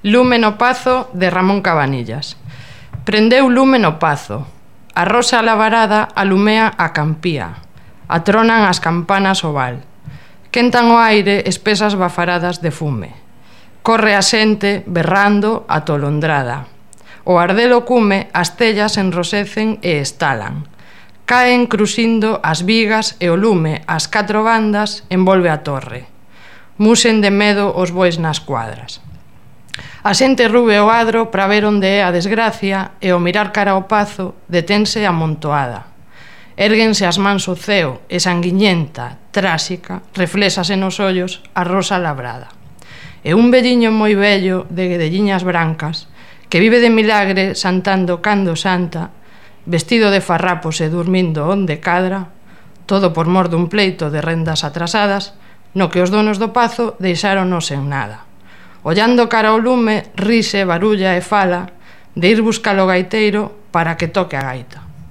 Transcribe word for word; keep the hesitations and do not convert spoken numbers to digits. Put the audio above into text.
Lume no pazo de Ramón Cabanillas. Prendeu lume no pazo. A rosa alabarada alumea a campía. Atronan as campanas o val. Quentan o aire espesas bafaradas de fume. Corre a xente berrando atolondrada. O ardelo cume as tellas enrosecen e estalan. Caen cruxindo as vigas e o lume ás catro bandas envolve a torre. Musen de medo os bois nas cuadras. A xente rube o adro para ver onde é a desgracia e ao mirar cara ao pazo detense amontoada. Érguense as mans ao ceo e sanguiñenta, tráxica, reflexase nos ollos a rosa labrada. E un velliño moi vello de guedelliñas brancas que vive de milagre santando cando santa, vestido de farrapos e dormindo onde cadra, todo por mor dun pleito de rendas atrasadas, no que os donos do pazo deixáronos en nada. Ollando cara ao lume, rise, barulla e fala de ir buscar o gaiteiro para que toque a gaita.